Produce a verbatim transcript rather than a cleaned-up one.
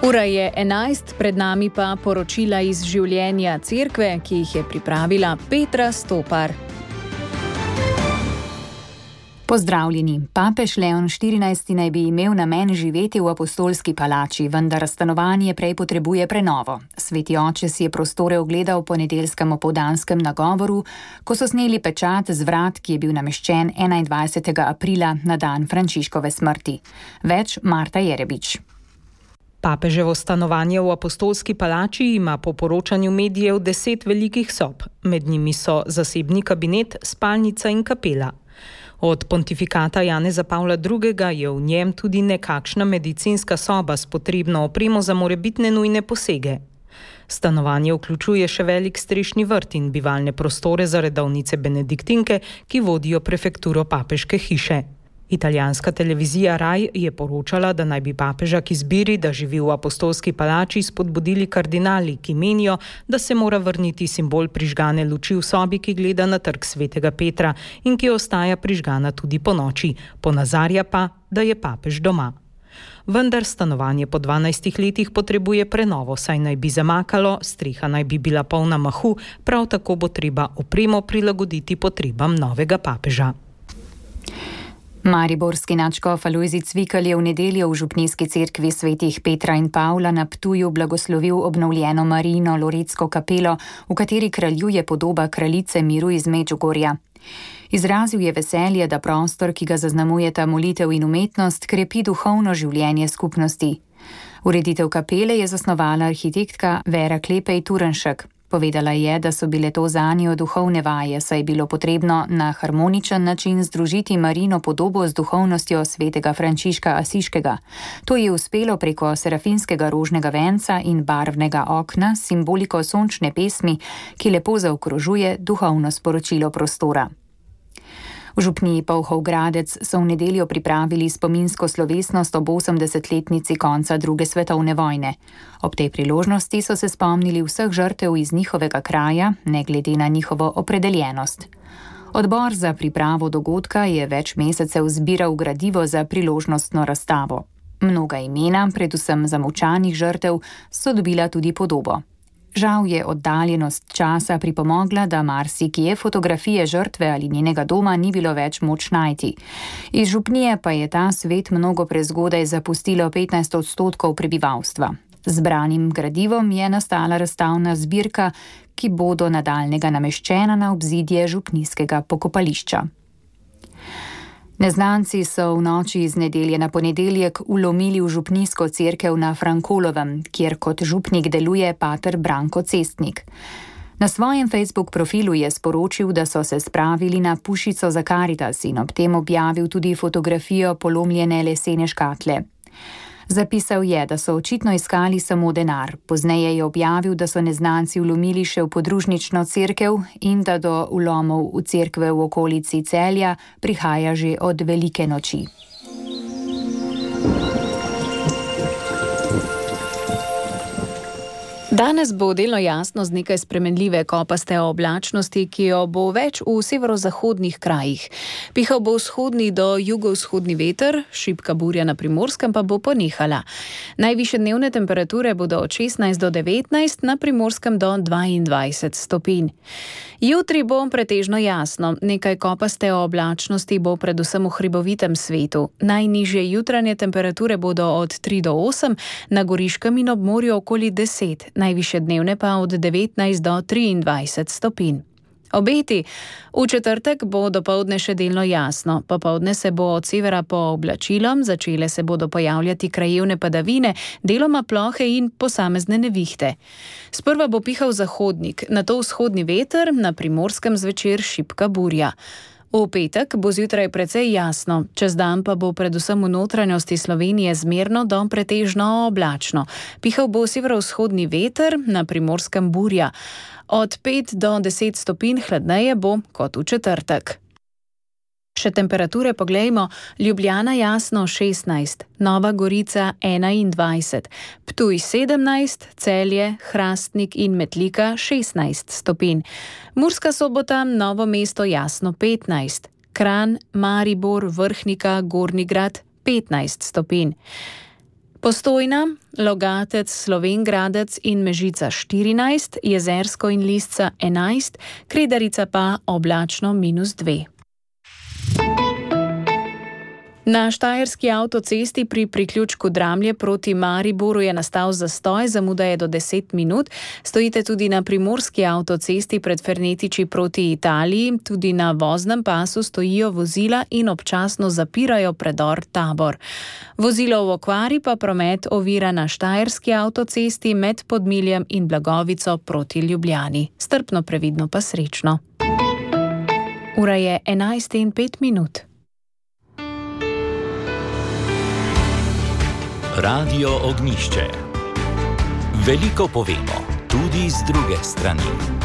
Ura je enajst, pred nami pa poročila iz življenja cerkve, ki jih je pripravila Petra Stopar. Pozdravljeni. Papež Leon štirinajsti naj bi imel namen živeti v apostolski palači, vendar stanovanje prej potrebuje prenovo. Sveti oče si je prostore ogledal v ponedeljskem opoldanskem nagovoru, ko so sneli pečat z vrat, ki je bil nameščen enaindvajsetega aprila na dan Frančiškove smrti. Več Marta Jerebič. Papeževo stanovanje v apostolski palači ima po poročanju medijev deset velikih sob. Med njimi so zasebni kabinet, spalnica in kapela. Od pontifikata Janeza Pavla drugega je v njem tudi nekakšna medicinska soba s potrebno opremo za morebitne nujne posege. Stanovanje vključuje še velik strešni vrt in bivalne prostore za redovnice benediktinke, ki vodijo prefekturo papeške hiše. Italijanska televizija Rai je poročala, da naj bi papeža k izbiri, da živi v apostolski palači, spodbudili kardinali, ki menijo, da se mora vrniti simbol prižgane luči v sobi, ki gleda na trg svetega Petra in ki ostaja prižgana tudi po noči, ponazarja pa, da je papež doma. Vendar stanovanje po dvanajstih letih potrebuje prenovo, saj naj bi zamakalo, streha naj bi bila polna mahu, prav tako bo treba opremo prilagoditi potrebam novega papeža. Mariborski nadškof Alojzij Cvikl je v nedeljo v župnijski cerkvi svetih Petra in Pavla na Ptuju blagoslovil obnovljeno Marijino Loretsko kapelo, v kateri kraljuje podoba kraljice miru iz Medžugorja. Izrazil je veselje, da prostor, ki ga zaznamujeta molitev in umetnost, krepi duhovno življenje skupnosti. Ureditev kapele je zasnovala arhitektka Vera Klepej Turnšek. Povedala je, da so bile to zanjo duhovne vaje, saj je bilo potrebno na harmoničen način združiti Marijino podobo z duhovnostjo svetega Frančiška Asiškega. To je uspelo preko serafinskega rožnega venca in barvnega okna s simboliko sončne pesmi, ki lepo zaokrožuje duhovno sporočilo prostora. V župniji Polhov Gradec so v nedeljo pripravili spominsko slovesnost ob osemdesetletnici konca druge svetovne vojne. Ob tej priložnosti so se spomnili vseh žrtev iz njihovega kraja, ne glede na njihovo opredeljenost. Odbor za pripravo dogodka je več mesecev zbiral gradivo za priložnostno razstavo. Mnoga imena, predvsem zamolčanih žrtev, so dobila tudi podobo. Žal je oddaljenost časa pripomogla, da marsikje fotografije žrtve ali njenega doma ni bilo več moč najti. Iz župnije pa je ta svet mnogo prezgodaj zapustilo petnajst odstotkov prebivalstva. Z zbranim gradivom je nastala razstavna zbirka, ki bo do nadaljnjega nameščena na obzidje župnijskega pokopališča. Neznanci so v noči iz nedelje na ponedeljek vlomili v župnijsko cerkev na Frankolovem, kjer kot župnik deluje pater Branko Cestnik. Na svojem Facebook profilu je sporočil, da so se spravili na pušico za Karitas in ob tem objavil tudi fotografijo polomljene lesene škatle. Zapisal je, da so očitno iskali samo denar. Pozneje je objavil, da so neznanci vlomili še v podružnično cerkev in da do vlomov v cerkve v okolici Celja prihaja že od velike noči. Danes bo delno jasno z nekaj spremenljive kopaste oblačnosti, ki jo bo več v severozahodnih krajih. Pihal bo vzhodni do jugovzhodni veter, šibka burja na Primorskem pa bo ponehala. Najvišje dnevne temperature bodo od šestnajst do devetnajst, na Primorskem do dvaindvajset stopinj. Jutri bo pretežno jasno, nekaj kopaste oblačnosti bo predvsem v hribovitem svetu. Najnižje jutranje temperature bodo od tri do osem, na Goriškem in ob morju okoli deset, najvišje dnevne pa od devetnajst do triindvajset stopinj. Obeti. V četrtek bo dopoldne še delno jasno. Popoldne se bo od severa pooblačilo, začele se bodo pojavljati krajevne padavine, deloma plohe in posamezne nevihte. Sprva bo pihal zahodnik, nato vzhodni veter, na Primorskem zvečer šibka burja. V petek bo zjutraj precej jasno, čez dan pa bo predvsem v notranjosti Slovenije zmerno do pretežno oblačno. Pihal bo severovzhodni veter, na Primorskem burja. Od pet do deset stopinj hladneje bo kot v četrtek. Še temperature poglejmo. Ljubljana jasno šestnajst, Nova Gorica enaindvajset, Ptuj sedemnajst, Celje, Hrastnik in Metlika šestnajst stopinj. Murska Sobota, Novo mesto jasno petnajst, Kranj, Maribor, Vrhnika, Gornji Grad petnajst stopinj. Postojna, Logatec, Slovenj Gradec in Mežica štirinajst, Jezersko in Lisca enajst, Kredarica pa oblačno minus dve. Na štajerski avtocesti pri priključku Dramlje proti Mariboru je nastal zastoj, zamuda je do deset minut. Stojite tudi na primorski avtocesti pred Fernetiči proti Italiji. Tudi na voznem pasu stojijo vozila in občasno zapirajo predor Tabor. Vozilo v okvari pa promet ovira na štajerski avtocesti med Podmiljem in Blagovico proti Ljubljani. Strpno, previdno pa srečno. Ura je enajst in pet minut. Radio Ognjišče. Veliko povemo, tudi z druge strani.